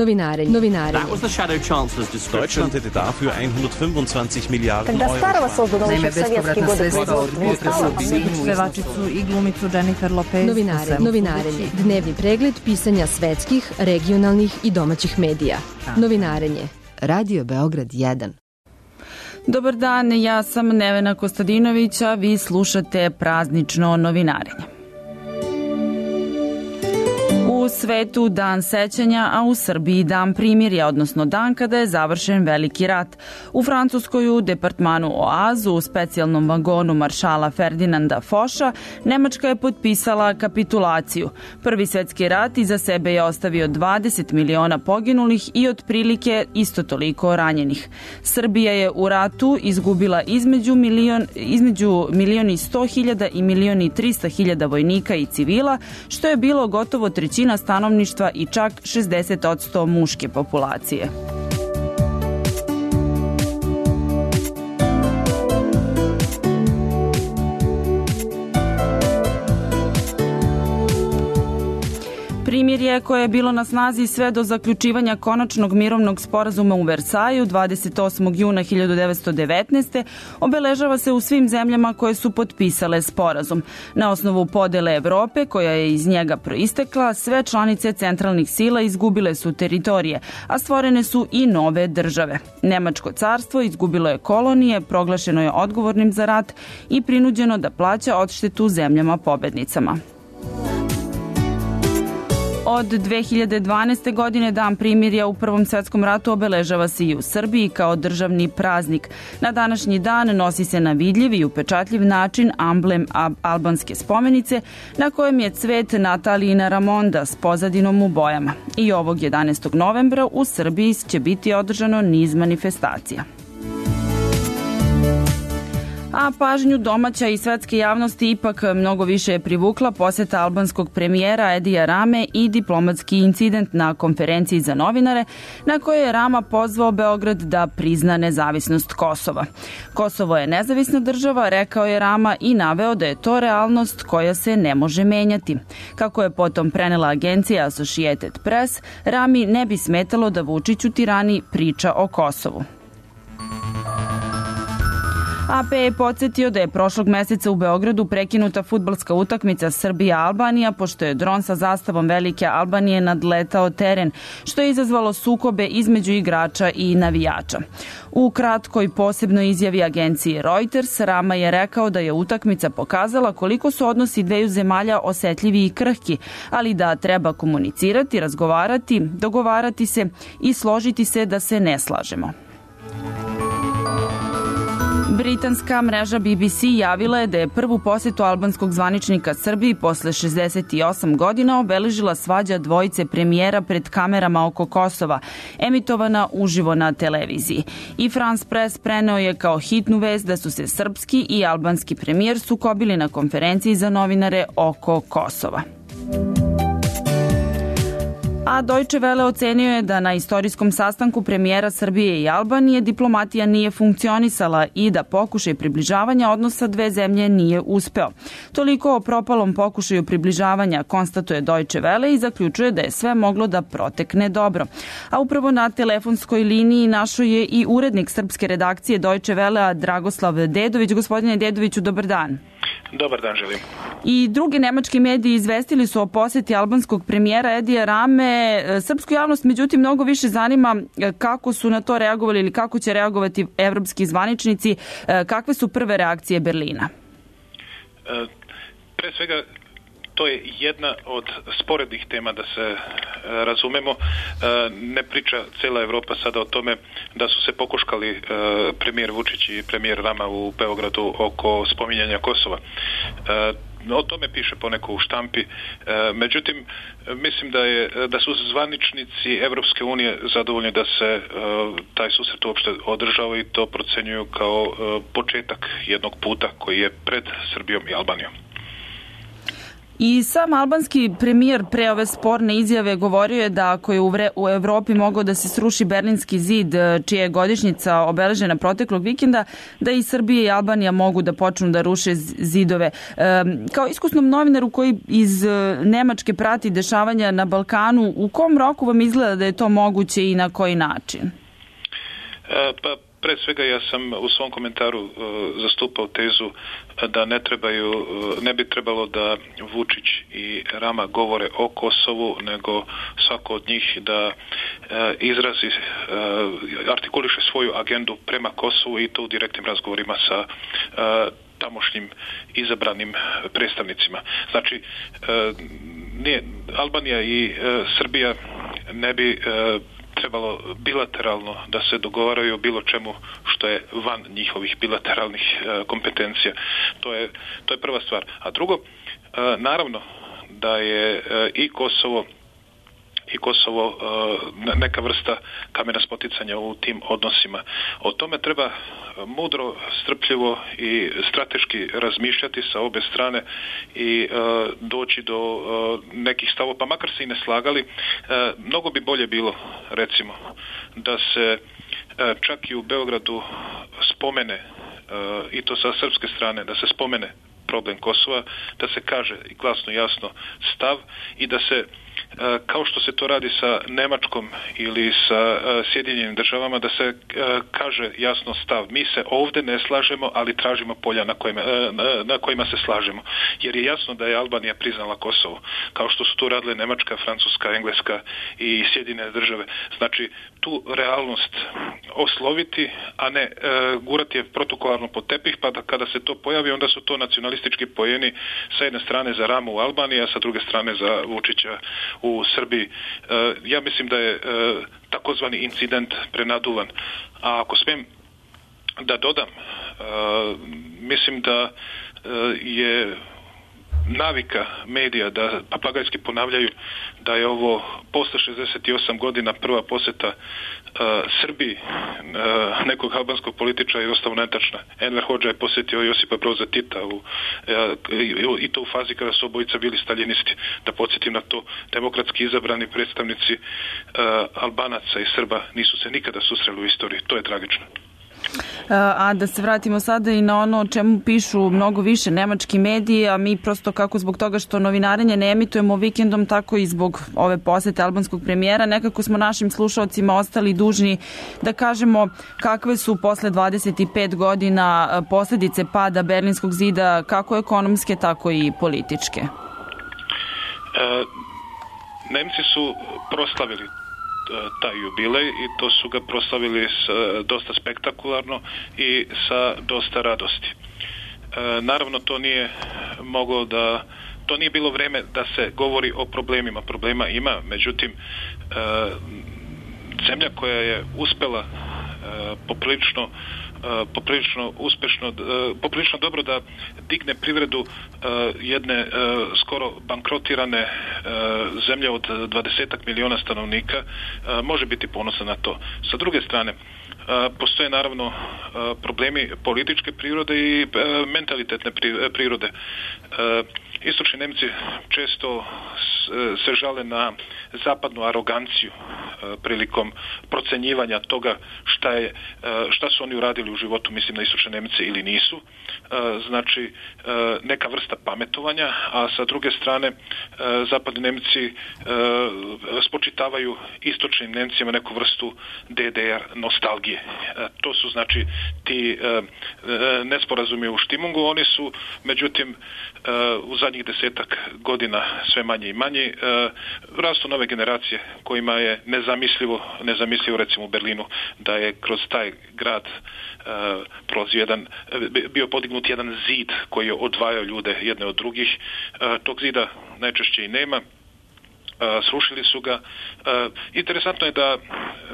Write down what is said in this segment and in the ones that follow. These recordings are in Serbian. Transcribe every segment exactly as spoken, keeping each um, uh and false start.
Novinarenje. Novinarenje. That was the shadow chancellor's description. Deutschland hätte dafür hundertfünfundzwanzig Milliarden Когда Euro. старого создано еще в советские годы производства. Pevačicu i glumicu Jennifer Lopez. Novinare, novinarenje. Dnevni pregled pisanja svetskih, regionalnih i domaćih medija. Novinarenje. Radio Beograd jedan. Dobar dan, ja sam Nevena Kostadinović, a vi slušate praznično novinarenje. U svetu dan sećanja, a u Srbiji dan primirja, odnosno dan kada je završen Veliki rat. U Francuskoj u departmanu Oazu, u specijalnom vagonu maršala Ferdinanda Foša, Nemačka je potpisala kapitulaciju. Prvi svetski rat iza sebe je ostavio dvadeset miliona poginulih i otprilike isto toliko ranjenih. Srbija je u ratu izgubila između milion, između milion i sto hiljada i milion i trista hiljada vojnika i civila, što je bilo gotovo trećina stanovništva i čak šezdeset posto muške populacije. Primirje koje je bilo na snazi sve do zaključivanja konačnog mirovnog sporazuma u Versaju dvadeset osmog juna hiljadu devetsto devetnaeste. obeležava se u svim zemljama koje su potpisale sporazum. Na osnovu podele Evrope, koja je iz njega proistekla, sve članice centralnih sila izgubile su teritorije, a stvorene su i nove države. Nemačko carstvo izgubilo je kolonije, proglašeno je odgovornim za rat i prinuđeno da plaća odštetu zemljama pobednicama. Od dve hiljade dvanaeste. godine dan primirja u Prvom svetskom ratu obeležava se i u Srbiji kao državni praznik. Na današnji dan nosi se na vidljiv i upečatljiv način amblem albanske spomenice na kojem je cvet Natalijina Ramonda s pozadinom u bojama. I ovog jedanaestog novembra u Srbiji će biti održano niz manifestacija. A pažnju domaća i svetske javnosti ipak mnogo više je privukla poseta albanskog premijera Edija Rame i diplomatski incident na konferenciji za novinare na kojoj je Rama pozvao Beograd da prizna nezavisnost Kosova. Kosovo je nezavisna država, rekao je Rama i naveo da je to realnost koja se ne može menjati. Kako je potom prenela agencija Associated Press, Rami ne bi smetalo da Vučić u Tirani priča o Kosovu. A P je podsjetio da je prošlog meseca u Beogradu prekinuta fudbalska utakmica Srbija-Albanija, pošto je dron sa zastavom Velike Albanije nadletao teren, što je izazvalo sukobe između igrača i navijača. U kratkoj posebnoj izjavi agencije Reuters, Rama je rekao da je utakmica pokazala koliko su odnosi dveju zemalja osetljivi i krhki, ali da treba komunicirati, razgovarati, dogovarati se i složiti se da se ne slažemo. Britanska mreža B B C javila je da je prvu posetu albanskog zvaničnika Srbiji posle šezdeset osam godina obeležila svađa dvojice premijera pred kamerama oko Kosova, emitovana uživo na televiziji. I France Press preneo je kao hitnu vest da su se srpski i albanski premijer sukobili na konferenciji za novinare oko Kosova. A Deutsche Welle ocenio je da na istorijskom sastanku premijera Srbije i Albanije diplomatija nije funkcionisala i da pokušaj približavanja odnosa dve zemlje nije uspeo. Toliko o propalom pokušaju približavanja konstatuje Deutsche Welle i zaključuje da je sve moglo da protekne dobro. A upravo na telefonskoj liniji našo je i urednik srpske redakcije Deutsche Welle Dragoslav Dedović. Gospodine Dedoviću, dobar dan. Dobar dan, želim. I drugi nemački mediji izvestili su o poseti albanskog premijera Edija Rame. Srpsku javnost, međutim, mnogo više zanima kako su na to reagovali ili kako će reagovati evropski zvaničnici. Kakve su prve reakcije Berlina? E, pre svega, to je jedna od sporednih tema, da se razumemo. Ne priča cela Evropa sada o tome da su se pokuškali premijer Vučić i premijer Rama u Beogradu oko spominjanja Kosova. O tome piše poneko u štampi. Međutim, mislim da je da su zvaničnici Evropske unije zadovoljni da se taj susret uopšte održao i to procenjuju kao početak jednog puta koji je pred Srbijom i Albanijom. I sam albanski premijer pre ove sporne izjave govorio je da ako je u, vre, u Evropi mogao da se sruši Berlinski zid, čija je godišnjica obeležena proteklog vikenda, da i Srbija i Albanija mogu da počnu da ruše zidove. E, kao iskusnom novinaru koji iz Nemačke prati dešavanja na Balkanu, u kom roku vam izgleda da je to moguće i na koji način? E, pa pre svega ja sam u svom komentaru uh, zastupao tezu da ne trebaju, uh, ne bi trebalo da Vučić i Rama govore o Kosovu, nego svako od njih da uh, izrazi, uh, artikuliše svoju agendu prema Kosovu i to u direktnim razgovorima sa uh, tamošnjim izabranim predstavnicima. Znači, uh, nije, Albanija i uh, Srbija ne bi uh, trebalo bilateralno da se dogovaraju o bilo čemu što je van njihovih bilateralnih e, kompetencija. To je, to je prva stvar. A drugo, e, naravno da je e, i Kosovo i Kosovo e, neka vrsta kamena spoticanja u tim odnosima. O tome treba mudro, strpljivo i strateški razmišljati sa obe strane i e, doći do e, nekih stavova, pa makar se i ne slagali. E, mnogo bi bolje bilo, recimo, da se e, čak i u Beogradu spomene, e, i to sa srpske strane, da se spomene problem Kosova, da se kaže glasno jasno stav i da se kao što se to radi sa Nemačkom ili sa Sjedinjenim državama, da se kaže jasno stav. Mi se ovde ne slažemo, ali tražimo polja na kojima, na kojima se slažemo. Jer je jasno da je Albanija priznala Kosovo, kao što su to radile Nemačka, Francuska, Engleska i Sjedinjene države. Znači, tu realnost osloviti, a ne gurati je protokolarno pod tepih, pa da kada se to pojavi, onda su to nacionalistički pojeni sa jedne strane za Ramu u Albaniji, a sa druge strane za Vučića u Srbiji. Ja mislim da je takozvani incident prenaduvan. A ako smijem da dodam, mislim da je navika medija da papagajski ponavljaju da je ovo posle šezdeset osam godina prva poseta uh, Srbiji uh, nekog albanskog političara je jednostavno netačna. Enver Hodža je posjetio Josipa Broza Tita u, uh, i to u fazi kada su obojica bili staljinisti. Da podsjetim na to, demokratski izabrani predstavnici uh, Albanaca i Srba nisu se nikada susreli u istoriji. To je tragično. A da se vratimo sada i na ono o čemu pišu mnogo više nemački mediji, a mi prosto kako zbog toga što novinarenje ne emitujemo vikendom, tako i zbog ove posete albanskog premijera, nekako smo našim slušalcima ostali dužni da kažemo kakve su posle dvadeset pet godina posledice pada Berlinskog zida, kako ekonomske, tako i političke. E, Nemci su proslavili taj jubilej i to su ga proslavili s, dosta spektakularno i sa dosta radosti. E, naravno to nije moglo da to nije bilo vreme da se govori o problemima. Problema ima, međutim e, zemlja koja je uspela e, poprilično poprilično uspešno, poprilično dobro da digne privredu jedne skoro bankrotirane zemlje od dvadesetak miliona stanovnika, može biti ponosan na to. Sa druge strane, postoje naravno problemi političke prirode i mentalitetne prirode. Istočni Nemci često se žale na zapadnu aroganciju prilikom procenjivanja toga šta je, šta su oni uradili u životu, mislim na istočne Nemce ili nisu. Znači neka vrsta pametovanja, a sa druge strane zapadni Nemci spočitavaju istočnim Nemcima neku vrstu D D R nostalgije. To su znači ti nesporazumi u štimungu, oni su međutim u zadnjih desetak godina sve manje i manje. Rastu nove generacije kojima je nezamislivo, nezamislivo recimo u Berlinu da je kroz taj grad prolazio jedan, bio podignut jedan zid koji je odvajao ljude jedne od drugih. Tog zida najčešće i nema. Srušili su ga. Interesantno je da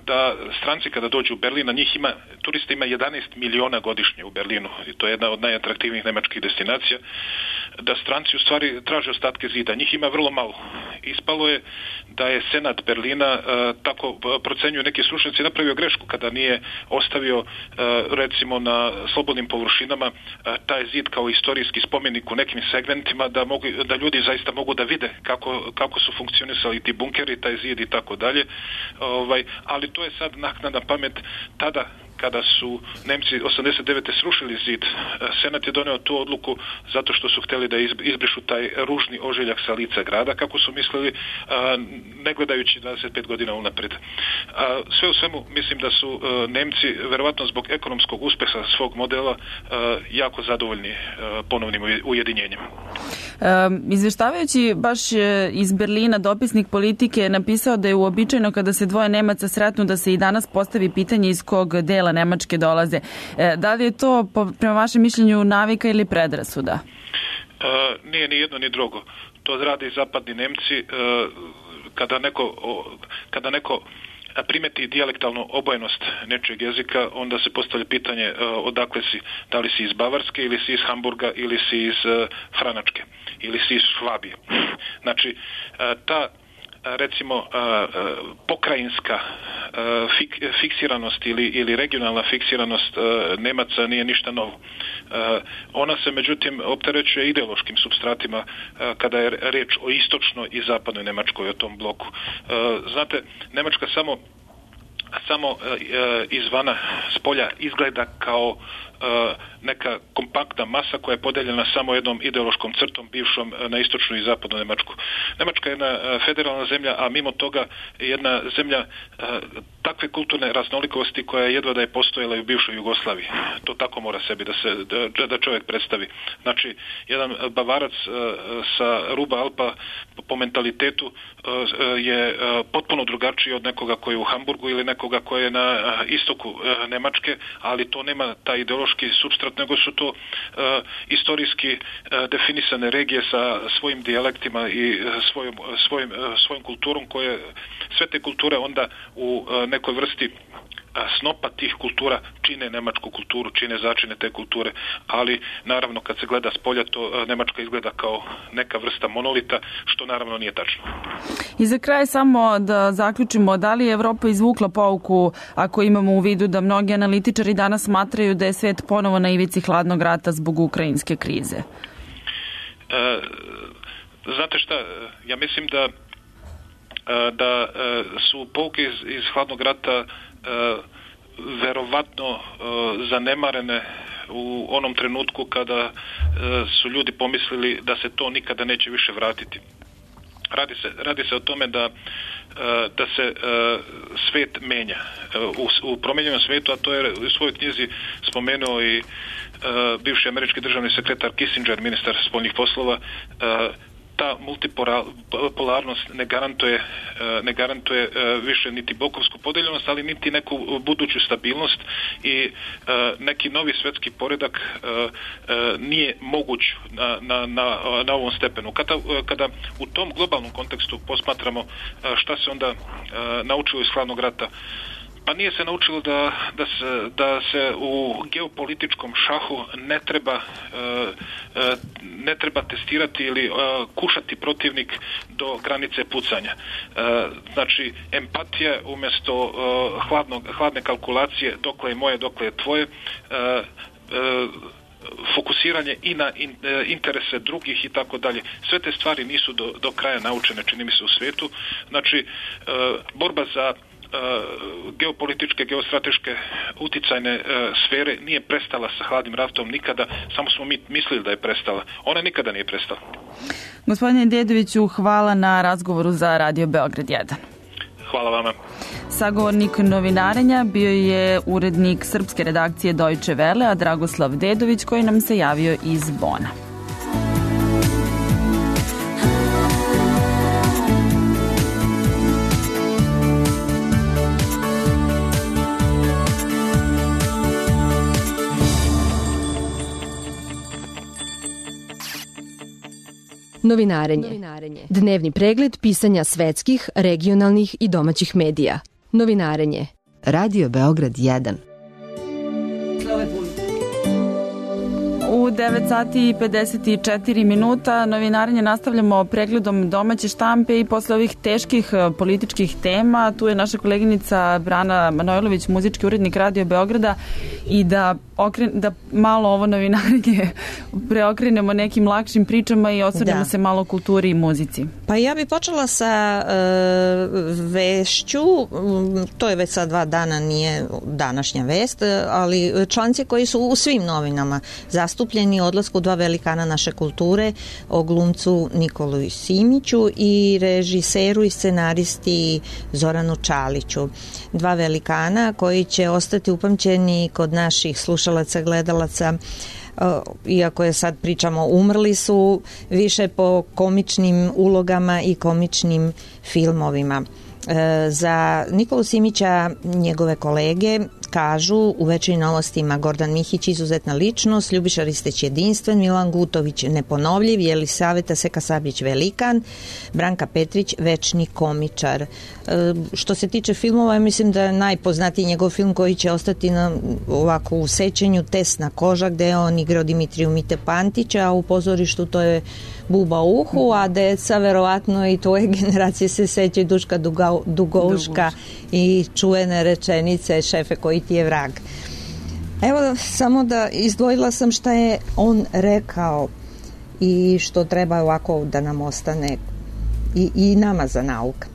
da stranci kada dođu u Berlin, a njih ima, turista ima jedanaest miliona godišnje u Berlinu, i to je jedna od najatraktivnijih nemačkih destinacija, da stranci u stvari traže ostatke zida. Njih ima vrlo malo. Ispalo je da je Senat Berlina, tako procenjuju neki stručnjaci, napravio grešku kada nije ostavio recimo na slobodnim površinama taj zid kao istorijski spomenik u nekim segmentima, da, mogu, da ljudi zaista mogu da vide kako, kako su funkcionisali ti bunkeri, taj zid i tako dalje. Ovaj, ali to je sad naknadna pamet. Tada kada su Nemci osamdeset devete srušili zid, Senat je doneo tu odluku zato što su htjeli da izbrišu taj ružni ožiljak sa lica grada, kako su mislili, ne gledajući dvadeset pet godina unaprijed. Sve u svemu mislim da su Nemci verovatno zbog ekonomskog uspeha svog modela jako zadovoljni ponovnim ujedinjenjem. Izveštavajući baš iz Berlina, dopisnik Politike je napisao da je uobičajeno kada se dvoje Nemaca sretnu da se i danas postavi pitanje iz kog dela Nemačke dolaze. Da li je to prema vašem mišljenju navika ili predrasuda? E, nije ni jedno ni drugo. To rade i zapadni Nemci. E, kada neko, kada neko primeti dijalektalnu obojenost nečeg jezika, onda se postavlja pitanje e, odakle si, da li si iz Bavarske ili si iz Hamburga ili si iz e, Franačke ili si iz Švabije. Znači, e, ta recimo pokrajinska fiksiranost ili, ili regionalna fiksiranost Nemaca nije ništa novo. Ona se međutim opterećuje ideološkim supstratima kada je reč o istočnoj i zapadnoj Nemačkoj, o tom bloku. Znate, Nemačka samo samo izvana, s polja izgleda kao neka kompaktna masa koja je podeljena samo jednom ideološkom crtom bivšom na istočnu i zapadnu Nemačku. Nemačka je jedna federalna zemlja, a mimo toga jedna zemlja takve kulturne raznolikosti koja je jedva da je postojala i u bivšoj Jugoslaviji. To tako mora sebi da se da, da čovjek predstavi. Znači, jedan Bavarac sa ruba Alpa po mentalitetu je potpuno drugačiji od nekoga koji je u Hamburgu ili nekoga koji je na istoku Nemačke, ali to nema taj ideološki supstrat, nego su to uh, istorijski uh, definisane regije sa svojim dijalektima i svojom, svojim, uh, svojom kulturom, koje sve te kulture onda u uh, nekoj vrsti snopa tih kultura čine nemačku kulturu, čine začine te kulture, ali naravno kad se gleda s polja, to Nemačka izgleda kao neka vrsta monolita, što naravno nije tačno. I za kraj samo da zaključimo, da li je Evropa izvukla pouku ako imamo u vidu da mnogi analitičari danas smatraju da je svet ponovo na ivici hladnog rata zbog ukrajinske krize? E, znate šta, ja mislim da da su pouke iz, iz hladnog rata Uh, verovatno uh, zanemarene u onom trenutku kada uh, su ljudi pomislili da se to nikada neće više vratiti. Radi se, radi se o tome da, uh, da se uh, svet menja. Uh, u, u promijenjenom svetu, a to je u svojoj knjizi spomenuo i uh, bivši američki državni sekretar Kissinger, ministar spoljnih poslova, uh, ta multipolarnost ne garantuje, ne garantuje više niti bokovsku podeljenost, ali niti neku buduću stabilnost i neki novi svetski poredak nije moguć na, na, na, na ovom stepenu. Kada, kada u tom globalnom kontekstu posmatramo šta se onda naučilo iz hladnog rata, pa nije se naučilo da, da, se, da se u geopolitičkom šahu ne treba, ne treba testirati ili kušati protivnik do granice pucanja. Znači, empatija umjesto hladnog, hladne kalkulacije, dokle je moje, dokle je tvoje, fokusiranje i na interese drugih i tako dalje. Sve te stvari nisu do, do kraja naučene, čini mi se, u svijetu. Znači, borba za geopolitičke, geostrateške uticajne sfere nije prestala sa hladnim ratom nikada, samo smo mi mislili da je prestala. Ona nikada nije prestala. Gospodine Dedoviću, hvala na razgovoru za Radio Beograd jedan. Hvala vama. Sagovornik novinarenja bio je urednik srpske redakcije Deutsche Welle, a Dragoslav Dedović, koji nam se javio iz Bona. Novinarenje. Dnevni pregled pisanja svetskih, regionalnih i domaćih medija. Novinarenje. Radio Beograd jedan. U devet sati i pedeset četiri minuta novinarenje nastavljamo pregledom domaće štampe i posle ovih teških političkih tema tu je naša koleginica Brana Manojlović, muzički urednik Radio Beograda i da, okren, da malo ovo novinarenje preokrenemo nekim lakšim pričama i osvrnemo da. se malo o kulturi i muzici. Pa ja bih počela sa e, vešću, to je već sad dva dana, nije današnja vest, ali članci koji su u svim novinama zastupljeni odlasku dva velikana naše kulture, o glumcu Nikolu Simiću i režiseru i scenaristi Zoranu Čaliću. Dva velikana koji će ostati upamćeni kod naših slušalaca, gledalaca, iako je sad pričamo umrli su, više po komičnim ulogama i komičnim filmovima. Za Nikolu Simića njegove kolege kažu u Večernjim novostima Gordan Mihić izuzetna ličnost, Ljubiša Risteć jedinstven, Milan Gutović neponovljiv, Jelisaveta Seka Sabljić velikan, Branka Petrić večni komičar. E, što se tiče filmova, mislim da je najpoznatiji njegov film koji će ostati na, ovako u sećanju, Tesna koža, gde je on igrao Dimitriju Mite Pantića, a u pozorištu to je Buba u uhu, a deca verovatno i tvoje generacije se sećaju Duška Duga, Dugouška i čuvene rečenice šefe koji ti je vrag. Evo samo da izdvojila sam šta je on rekao i što treba ovako da nam ostane i, i nama za nauk.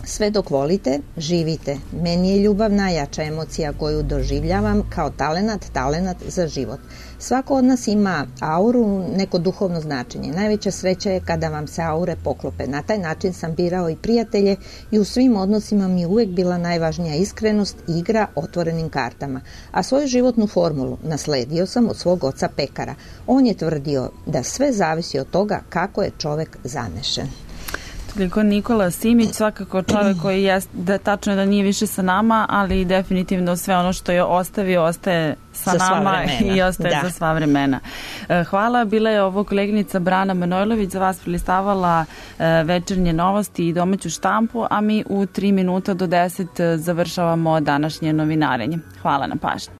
Sve dok volite, živite. Meni je ljubav najjača emocija koju doživljavam kao talenat, talenat za život. Svako od nas ima auru, neko duhovno značenje. Najveća sreća je kada vam se aure poklope. Na taj način sam birao i prijatelje i u svim odnosima mi je uvek bila najvažnija iskrenost, igra otvorenim kartama. A svoju životnu formulu nasledio sam od svog oca pekara. On je tvrdio da sve zavisi od toga kako je čovek zanešen. Toliko Nikola Simić, svakako čovjek koji je, da tačno je da nije više sa nama, ali definitivno sve ono što je ostavio ostaje sa nama i ostaje da. za sva vremena. Hvala, bila je ovo koleginica Brana Manojlović, za vas prilistavala Večernje novosti i domaću štampu, a mi u tri minuta do deset završavamo današnje novinarenje. Hvala na pažnji.